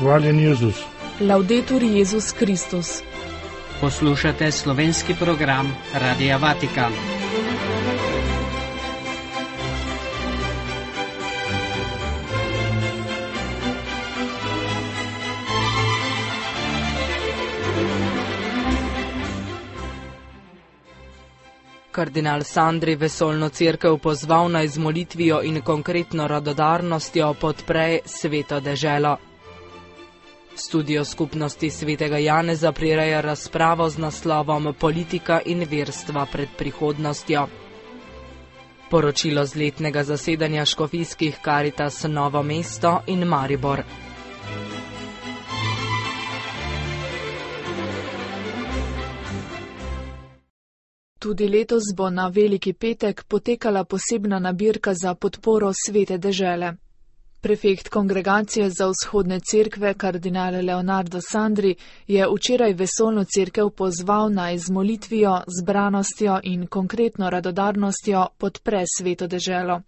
Hvaljen Jezus. Laudetur Jezus Kristus. Poslušate slovenski program Radia Vatikan. Kardinal Sandri vesoljno cerkev pozval naj z molitvijo in konkretno radodarnostjo podpre sveto deželo. Studio skupnosti svetega Janeza prireja razpravo z naslovom Politika in verstva pred prihodnostjo. Poročilo z letnega zasedanja škofijskih Karitas Novo mesto in Maribor. Tudi letos bo na Veliki petek potekala posebna nabirka za podporo svete dežele. Prefekt Kongregacije za vzhodne cerkve, kardinal Leonardo Sandri, je včeraj vesoljno cerkev pozval naj z molitvijo, zbranostjo in konkretno radodarnostjo podpre sveto deželo.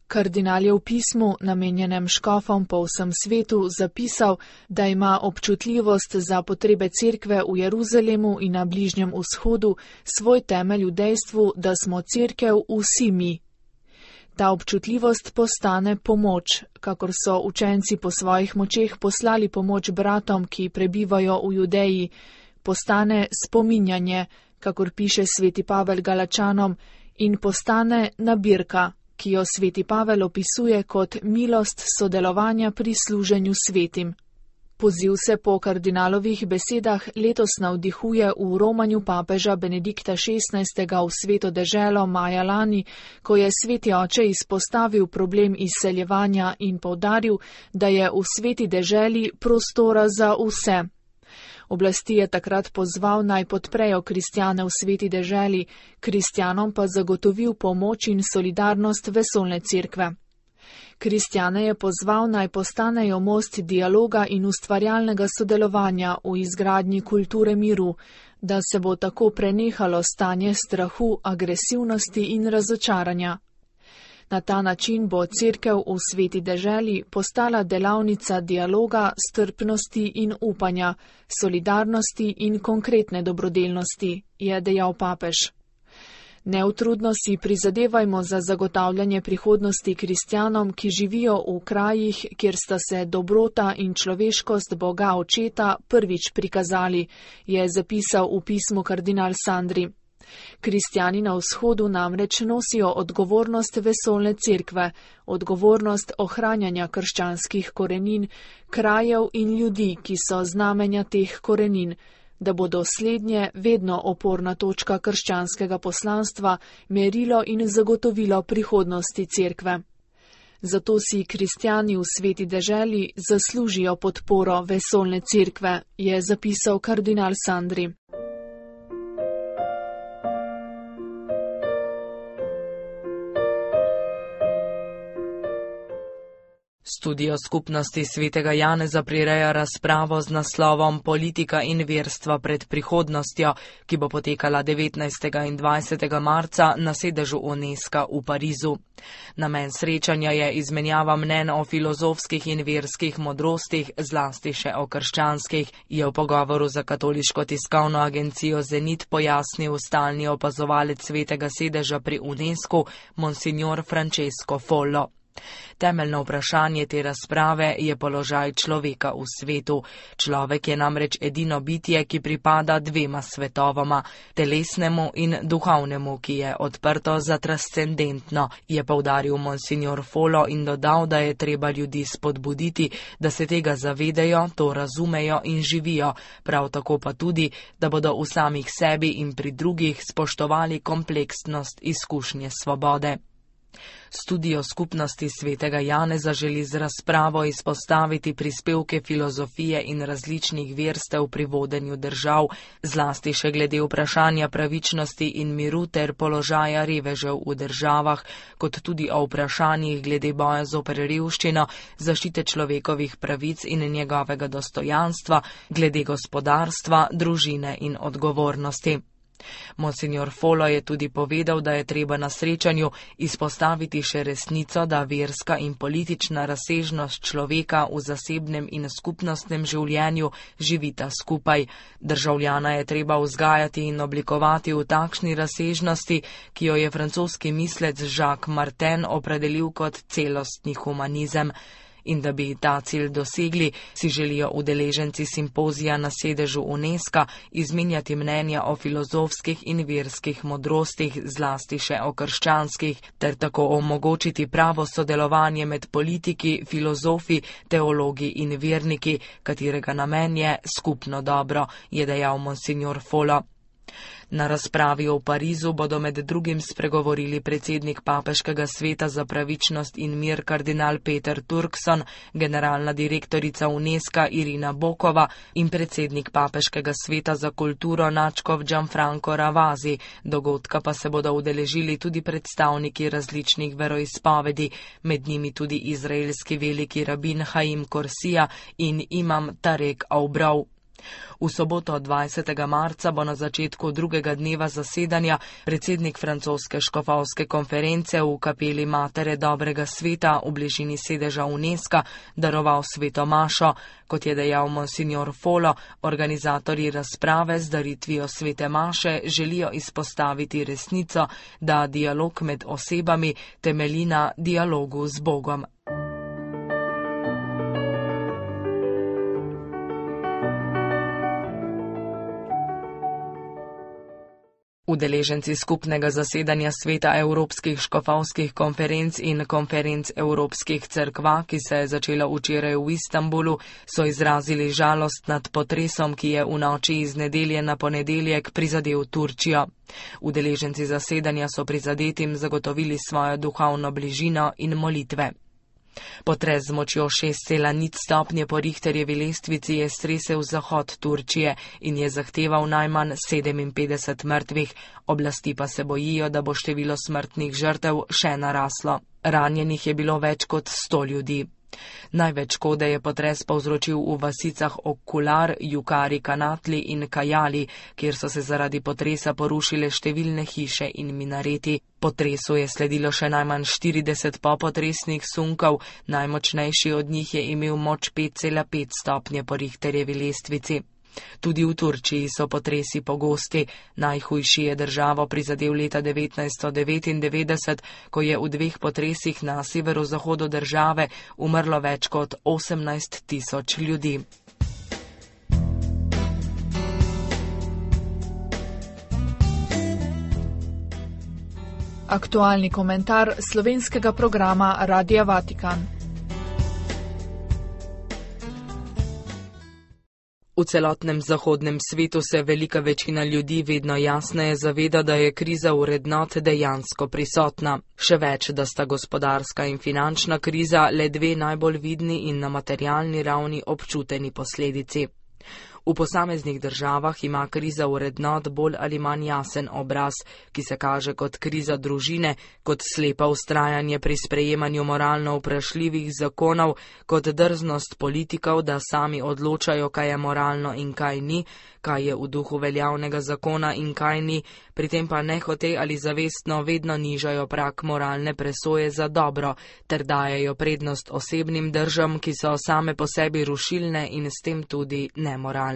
Kardinal je v pismu, namenjenem škofom po vsem svetu, zapisal, da ima občutljivost za potrebe cerkve v Jeruzalemu in na Bližnjem vzhodu svoj temelj v dejstvu, da smo cerkev vsi mi. Ta občutljivost postane pomoč, kakor so učenci po svojih močeh poslali pomoč bratom, ki prebivajo v Judeji, postane spominjanje, kakor piše sveti Pavel Galačanom, in postane nabirka, ki jo sveti Pavel opisuje kot milost sodelovanja pri služenju svetim. Poziv se po kardinalovih besedah letos navdihuje v romanju papeža Benedikta XVI. V sveto deželo maja lani, ko je sveti oče izpostavil problem izseljevanja in poudaril, da je v sveti deželi prostora za vse. Oblasti je takrat pozval naj podprejo kristjane v sveti deželi, kristjanom pa zagotovil pomoč in solidarnost vesoljne cerkve. Kristjane je pozval naj postanejo most dialoga in ustvarjalnega sodelovanja v izgradnji kulture miru, da se bo tako prenehalo stanje strahu, agresivnosti in razočaranja. Na ta način bo cerkev v sveti deželi postala delavnica dialoga, strpnosti in upanja, solidarnosti in konkretne dobrodelnosti, je dejal papež. Neutrudno si prizadevajmo za zagotavljanje prihodnosti kristjanom, ki živijo v krajih, kjer sta se dobrota in človeškost Boga Očeta prvič prikazali, je zapisal v pismu kardinal Sandri. Kristjani na vzhodu namreč nosijo odgovornost vesoljne cerkve, odgovornost ohranjanja krščanskih korenin, krajev in ljudi, ki so znamenja teh korenin, da bodo slednje vedno oporna točka krščanskega poslanstva, merilo in zagotovilo prihodnosti cerkve. Zato si kristjani v sveti deželi zaslužijo podporo vesoljne cerkve, je zapisal kardinal Sandri. Studio skupnosti svetega Janeza prireja razpravo z naslovom Politika in verstva pred prihodnostjo, ki bo potekala 19. in 20. marca na sedežu UNESCO v Parizu. Namen srečanja je izmenjava mnenj o filozofskih in verskih modrostih, zlasti še o krščanskih, je v pogovoru za katoliško tiskovno agencijo Zenit pojasnil stalni opazovalec svetega sedeža pri UNESCO, monsignor Francesco Follo. Temeljno vprašanje te razprave je položaj človeka v svetu. Človek je namreč edino bitje, ki pripada dvema svetovoma, telesnemu in duhovnemu, ki je odprto za transcendentno, je poudaril monsignor Follo in dodal, da je treba ljudi spodbuditi, da se tega zavedajo, to razumejo in živijo, prav tako pa tudi, da bodo v samih sebi in pri drugih spoštovali kompleksnost izkušnje svobode. Studio skupnosti svetega Janeza želi z razpravo izpostaviti prispevke filozofije in različnih verstev pri vodenju držav, zlasti še glede vprašanja pravičnosti in miru ter položaja revežev v državah, kot tudi o vprašanjih glede boja zoper revščino, zaščite človekovih pravic in njegovega dostojanstva, glede gospodarstva, družine in odgovornosti. Monsignor Folo je tudi povedal, da je treba na srečanju izpostaviti še resnico, da verska in politična razsežnost človeka v zasebnem in skupnostnem življenju živita skupaj. Državljana je treba vzgajati in oblikovati v takšni razsežnosti, ki jo je francoski mislec Jacques Martin opredelil kot celostni humanizem. In da bi ta cilj dosegli, si želijo udeleženci simpozija na sedežu UNESCO izmenjati mnenja o filozofskih in verskih modrostih, zlasti še o krščanskih, ter tako omogočiti pravo sodelovanje med politiki, filozofi, teologi in verniki, katerega namen je skupno dobro, je dejal monsignor Folo. Na razpravi v Parizu bodo med drugim spregovorili predsednik Papeškega sveta za pravičnost in mir kardinal Peter Turkson, generalna direktorica UNESCO Irina Bokova in predsednik Papeškega sveta za kulturo nadškof Gianfranco Ravasi. Dogodka pa se bodo udeležili tudi predstavniki različnih veroizpovedi, med njimi tudi izraelski veliki rabin Haim Korsija in imam Tarek Aubrov. V soboto 20. marca bo na začetku drugega dneva zasedanja predsednik francoske škofovske konference v kapeli Matere dobrega sveta v bližini sedeža UNESCO daroval sveto mašo. Kot je dejal monsignor Folo, organizatorji razprave z daritvijo svete maše želijo izpostaviti resnico, da dialog med osebami temelji na dialogu z Bogom. Udeleženci skupnega zasedanja sveta evropskih škofovskih konferenc in konferenc evropskih cerkva, ki se je začela včeraj v Istanbulu, so izrazili žalost nad potresom, ki je v noči iz nedelje na ponedeljek prizadel Turčijo. Udeleženci zasedanja so prizadetim zagotovili svojo duhovno bližino in molitve. Potres z močjo 6,0 stopnje po Richterjevi lestvici je stresel zahod Turčije in je zahteval najmanj 57 mrtvih, oblasti pa se bojijo, da bo število smrtnih žrtev še naraslo. Ranjenih je bilo več kot 100 ljudi. Največ škode je potres povzročil v vasicah Okular, Jukari Kanatli in Kajali, kjer so se zaradi potresa porušile številne hiše in minareti. Potresu je sledilo še najmanj 40 popotresnih sunkov, najmočnejši od njih je imel moč 5,5 stopnje po Richterjevi lestvici. Tudi v Turčiji so potresi pogosti. Najhujši je državo prizadel leta 1999, ko je v 2 potresih na severozahodu države umrlo več kot 18 tisoč ljudi. Aktualni komentar slovenskega programa Radia Vatikan. V celotnem zahodnem svetu se velika večina ljudi vedno jasneje zaveda, da je kriza vrednot dejansko prisotna. Še več, da sta gospodarska in finančna kriza le 2 najbolj vidni in na materialni ravni občuteni posledici. V posameznih državah ima kriza vrednot bolj ali manj jasen obraz, ki se kaže kot kriza družine, kot slepa vztrajanje pri sprejemanju moralno vprašljivih zakonov, kot drznost politikov, da sami odločajo, kaj je moralno in kaj ni, kaj je v duhu veljavnega zakona in kaj ni, pri tem pa nehote ali zavestno vedno nižajo prag moralne presoje za dobro, ter dajejo prednost osebnim držam, ki so same po sebi rušilne in s tem tudi nemoralne.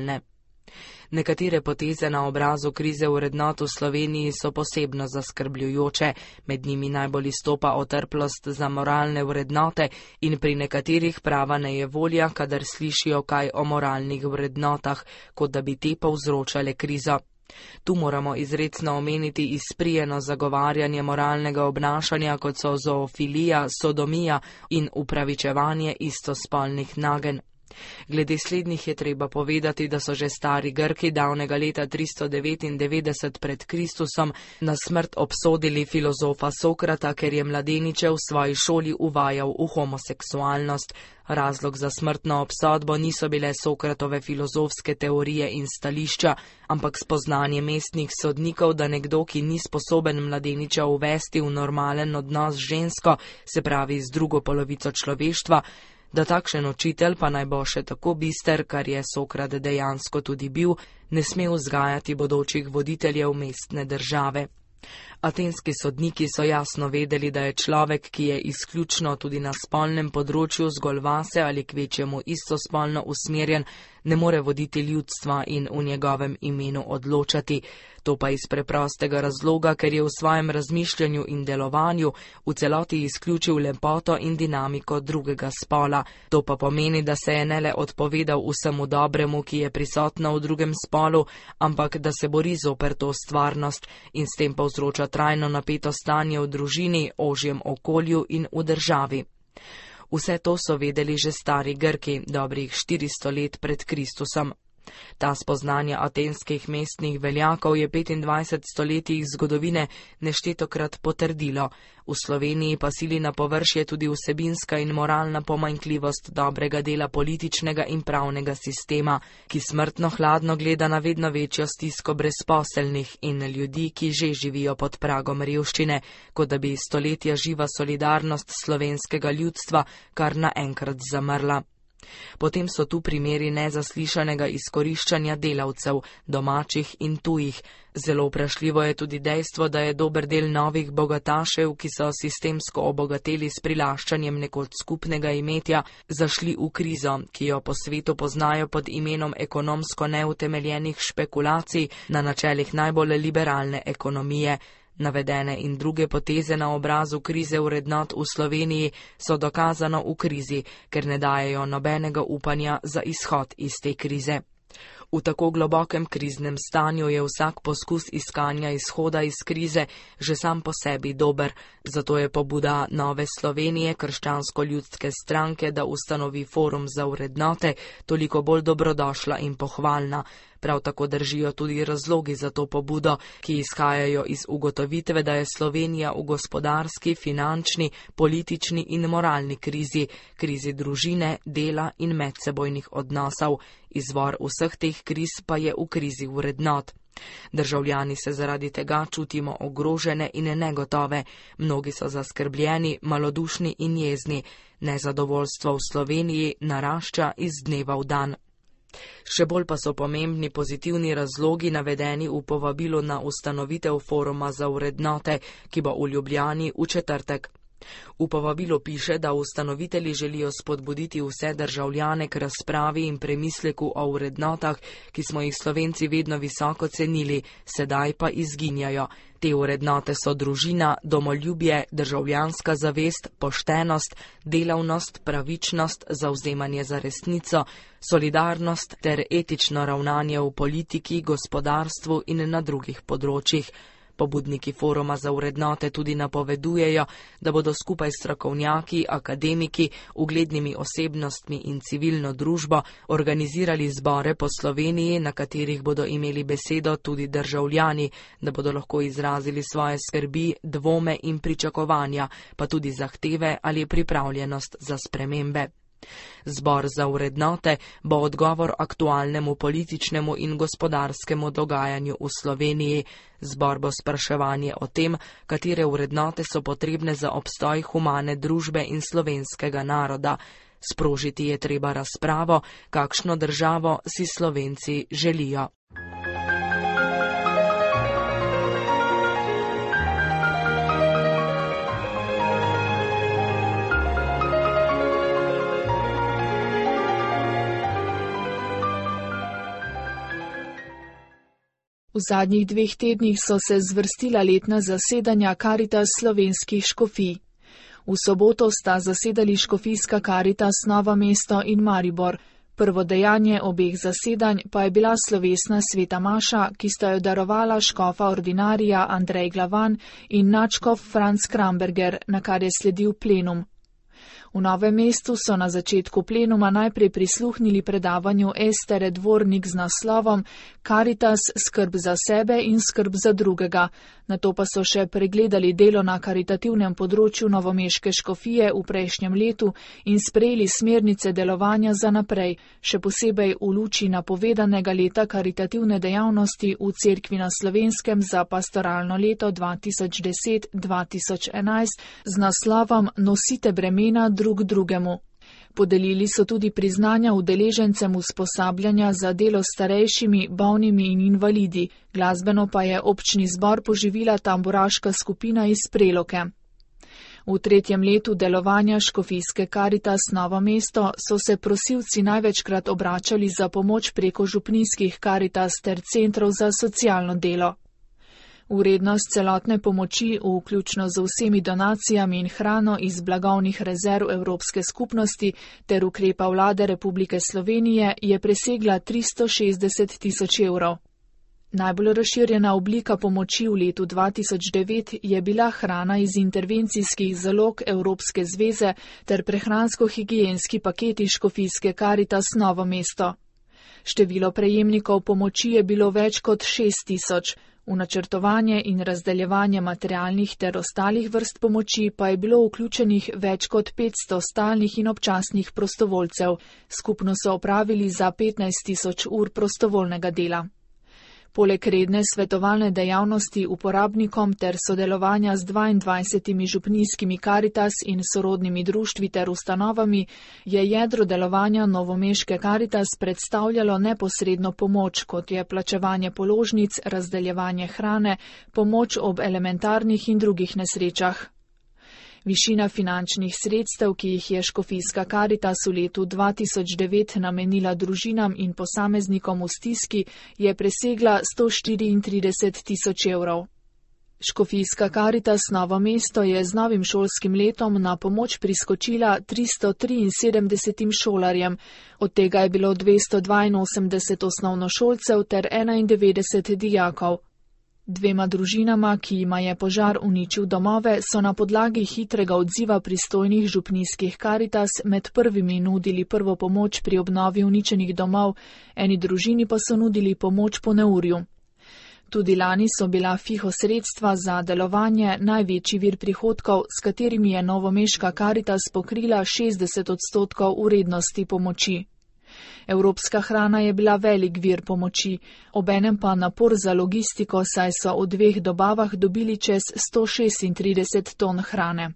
Nekatere poteze na obrazu krize vrednot v Sloveniji so posebno zaskrbljujoče, med njimi najbolj izstopa otrplost za moralne vrednote in pri nekaterih prava nejevolja, kadar slišijo kaj o moralnih vrednotah, kot da bi te povzročale krizo. Tu moramo izrecno omeniti izprijeno zagovarjanje moralnega obnašanja, kot so zoofilija, sodomija in upravičevanje istospolnih nagenj. Glede slednjih je treba povedati, da so že stari Grki davnega leta 399 pred Kristusom na smrt obsodili filozofa Sokrata, ker je mladeniče v svoji šoli uvajal v homoseksualnost. Razlog za smrtno obsodbo niso bile Sokratove filozofske teorije in stališča, ampak spoznanje mestnih sodnikov, da nekdo, ki ni sposoben mladeniča uvesti v normalen odnos z žensko, se pravi z drugo polovico človeštva, Da takšen učitelj, pa naj bo še tako bister, kar je Sokrat dejansko tudi bil, ne sme vzgajati bodočih voditeljev mestne države. Atenski sodniki so jasno vedeli, da je človek, ki je izključno tudi na spolnem področju zgolj vase ali kvečjemu istospolno usmerjen, ne more voditi ljudstva in v njegovem imenu odločati. To pa iz preprostega razloga, ker je v svojem razmišljanju in delovanju v celoti izključil lepoto in dinamiko drugega spola. To pa pomeni, da se je ne le odpovedal vsemu dobremu, ki je prisotno v drugem spolu, ampak da se bori zoper to stvarnost in s tem povzroča trajno napeto stanje v družini, ožjem okolju in v državi. Vse to so vedeli že stari Grki, dobrih 400 let pred Kristusom. Ta spoznanja atenskih mestnih veljakov je 25 stoletij zgodovine neštetokrat potrdilo. V Sloveniji pa sili na površje tudi vsebinska in moralna pomanjkljivost dobrega dela političnega in pravnega sistema, ki smrtno hladno gleda na vedno večjo stisko brezposelnih in ljudi, ki že živijo pod pragom revščine, kot da bi stoletja živa solidarnost slovenskega ljudstva kar naenkrat zamrla. Potem so tu primeri nezaslišanega izkoriščanja delavcev, domačih in tujih. Zelo vprašljivo je tudi dejstvo, da je dober del novih bogatašev, ki so sistemsko obogateli s prilaščanjem nekoč skupnega imetja, zašli v krizo, ki jo po svetu poznajo pod imenom ekonomsko neutemeljenih špekulacij na načelih najbolj liberalne ekonomije. Navedene in druge poteze na obrazu krize vrednot v Sloveniji so dokazano v krizi, ker ne dajejo nobenega upanja za izhod iz te krize. V tako globokem kriznem stanju je vsak poskus iskanja izhoda iz krize že sam po sebi dober, zato je pobuda Nove Slovenije, krščansko-ljudske stranke, da ustanovi forum za vrednote, toliko bolj dobrodošla in pohvalna. Prav tako držijo tudi razlogi za to pobudo, ki izhajajo iz ugotovitve, da je Slovenija v gospodarski, finančni, politični in moralni krizi, krizi družine, dela in medsebojnih odnosov. Izvor vseh teh kriz pa je v krizi vrednot. Državljani se zaradi tega čutimo ogrožene in negotove, mnogi so zaskrbljeni, malodušni in jezni. Nezadovoljstvo v Sloveniji narašča iz dneva v dan. Še bolj pa so pomembni pozitivni razlogi navedeni v povabilu na ustanovitev foruma za vrednote, ki bo v Ljubljani v četrtek. V povabilu piše, da ustanovitelji želijo spodbuditi vse državljane k razpravi in premisleku o vrednotah, ki smo jih Slovenci vedno visoko cenili, sedaj pa izginjajo. Te vrednote so družina, domoljubje, državljanska zavest, poštenost, delavnost, pravičnost, zavzemanje za resnico, solidarnost ter etično ravnanje v politiki, gospodarstvu in na drugih področjih. Pobudniki foruma za vrednote tudi napovedujejo, da bodo skupaj s strokovnjaki, akademiki, uglednimi osebnostmi in civilno družbo organizirali zbore po Sloveniji, na katerih bodo imeli besedo tudi državljani, da bodo lahko izrazili svoje skrbi, dvome in pričakovanja, pa tudi zahteve ali pripravljenost za spremembe. Zbor za vrednote bo odgovor aktualnemu političnemu in gospodarskemu dogajanju v Sloveniji. Zbor bo spraševanje o tem, katere vrednote so potrebne za obstoj humane družbe in slovenskega naroda. Sprožiti je treba razpravo, kakšno državo si Slovenci želijo. V zadnjih 2 tednih so se zvrstila letna zasedanja Karitas slovenskih škofij. V soboto sta zasedali škofijska Karitas Novo mesto in Maribor. Prvo dejanje obeh zasedanj pa je bila slovesna sveta maša, ki sta jo darovala škofa ordinarija Andrej Glavan in nadškof Franc Kramberger, na kar je sledil plenum. V Novem mestu so na začetku plenuma najprej prisluhnili predavanju Estere Dvornik z naslovom Karitas, skrb za sebe in skrb za drugega. Nato pa so še pregledali delo na karitativnem področju novomeške škofije v prejšnjem letu in sprejeli smernice delovanja za naprej, še posebej v luči napovedanega leta karitativne dejavnosti v Cerkvi na Slovenskem za pastoralno leto 2010-2011 z naslovom Nosite bremena drug drugemu. Podelili so tudi priznanja udeležencem usposabljanja za delo s starejšimi, bolnimi in invalidi, glasbeno pa je občni zbor poživila tamburaška skupina iz Preloke. V 3. letu delovanja škofijske Karitas Novo mesto so se prosilci največkrat obračali za pomoč preko župnijskih Karitas ter centrov za socialno delo. Vrednost celotne pomoči, vključno z vsemi donacijami in hrano iz blagovnih rezerv Evropske skupnosti ter ukrepa vlade Republike Slovenije, je presegla 360 tisoč evrov. Najbolj razširjena oblika pomoči v letu 2009 je bila hrana iz intervencijskih zalog Evropske zveze ter prehransko-higienski paketi škofijske Karitas Novo mesto. Število prejemnikov pomoči je bilo več kot 6 tisoč, v načrtovanje in razdeljevanje materialnih ter ostalih vrst pomoči pa je bilo vključenih več kot 500 stalnih in občasnih prostovoljcev, skupno so opravili za 15 tisoč ur prostovoljnega dela. Poleg redne svetovalne dejavnosti uporabnikom ter sodelovanja z 22 župnijskimi Karitas in sorodnimi društvi ter ustanovami, je jedro delovanja novomeške Karitas predstavljalo neposredno pomoč, kot je plačevanje položnic, razdeljevanje hrane, pomoč ob elementarnih in drugih nesrečah. Višina finančnih sredstev, ki jih je škofijska Karitas v letu 2009 namenila družinam in posameznikom v stiski, je presegla 134 tisoč evrov. Škofijska Karitas Novo mesto je z novim šolskim letom na pomoč priskočila 373 šolarjem, od tega je bilo 282 osnovnošolcev ter 91 dijakov. Dvema družinama, ki jima je požar uničil domove, so na podlagi hitrega odziva pristojnih župnijskih Karitas med prvimi nudili prvo pomoč pri obnovi uničenih domov, eni družini pa so nudili pomoč po neurju. Tudi lani so bila FIHO sredstva za delovanje največji vir prihodkov, s katerimi je novomeška Karitas pokrila 60% vrednosti pomoči. Evropska hrana je bila velik vir pomoči, obenem pa napor za logistiko, saj so v 2 dobavah dobili čez 136 ton hrane.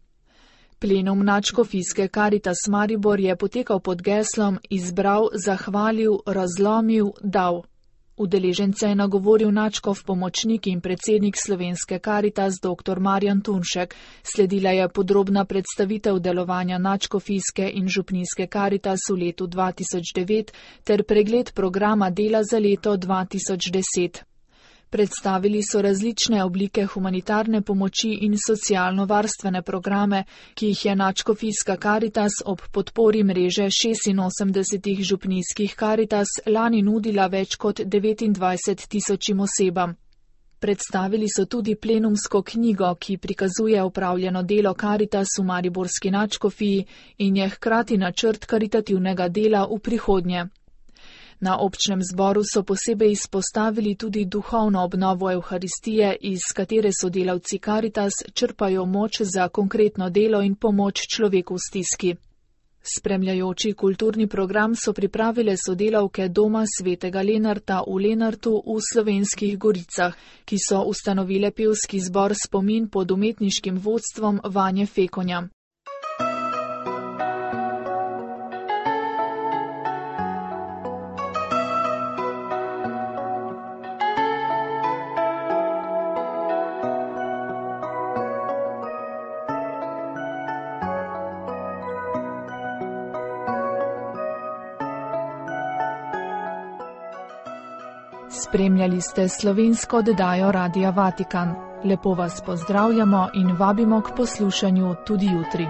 Plenum nadškofijske Karitas Maribor je potekal pod geslom Izbral, zahvalil, razlomil, dal. Udeležence je nagovoril nadškof pomočnik in predsednik slovenske Karitas dr. Marjan Tunšek. Sledila je podrobna predstavitev delovanja nadškofijske in župnijske Karitas v letu 2009 ter pregled programa dela za leto 2010. Predstavili so različne oblike humanitarne pomoči in socialno-varstvene programe, ki jih je nadškofijska Karitas ob podpori mreže 86 župnijskih Karitas lani nudila več kot 29 tisočim osebam. Predstavili so tudi plenumsko knjigo, ki prikazuje opravljeno delo Karitas v mariborski nadškofiji in je hkrati načrt karitativnega dela v prihodnje. Na občnem zboru so posebej izpostavili tudi duhovno obnovo Evharistije, iz katere sodelavci Karitas črpajo moč za konkretno delo in pomoč človeku v stiski. Spremljajoči kulturni program so pripravile sodelavke Doma svetega Lenarta v Lenartu v Slovenskih Goricah, ki so ustanovile pevski zbor Spomin pod umetniškim vodstvom Vanje Fekonja. Spremljali ste slovensko oddajo Radia Vatikan. Lepo vas pozdravljamo in vabimo k poslušanju tudi jutri.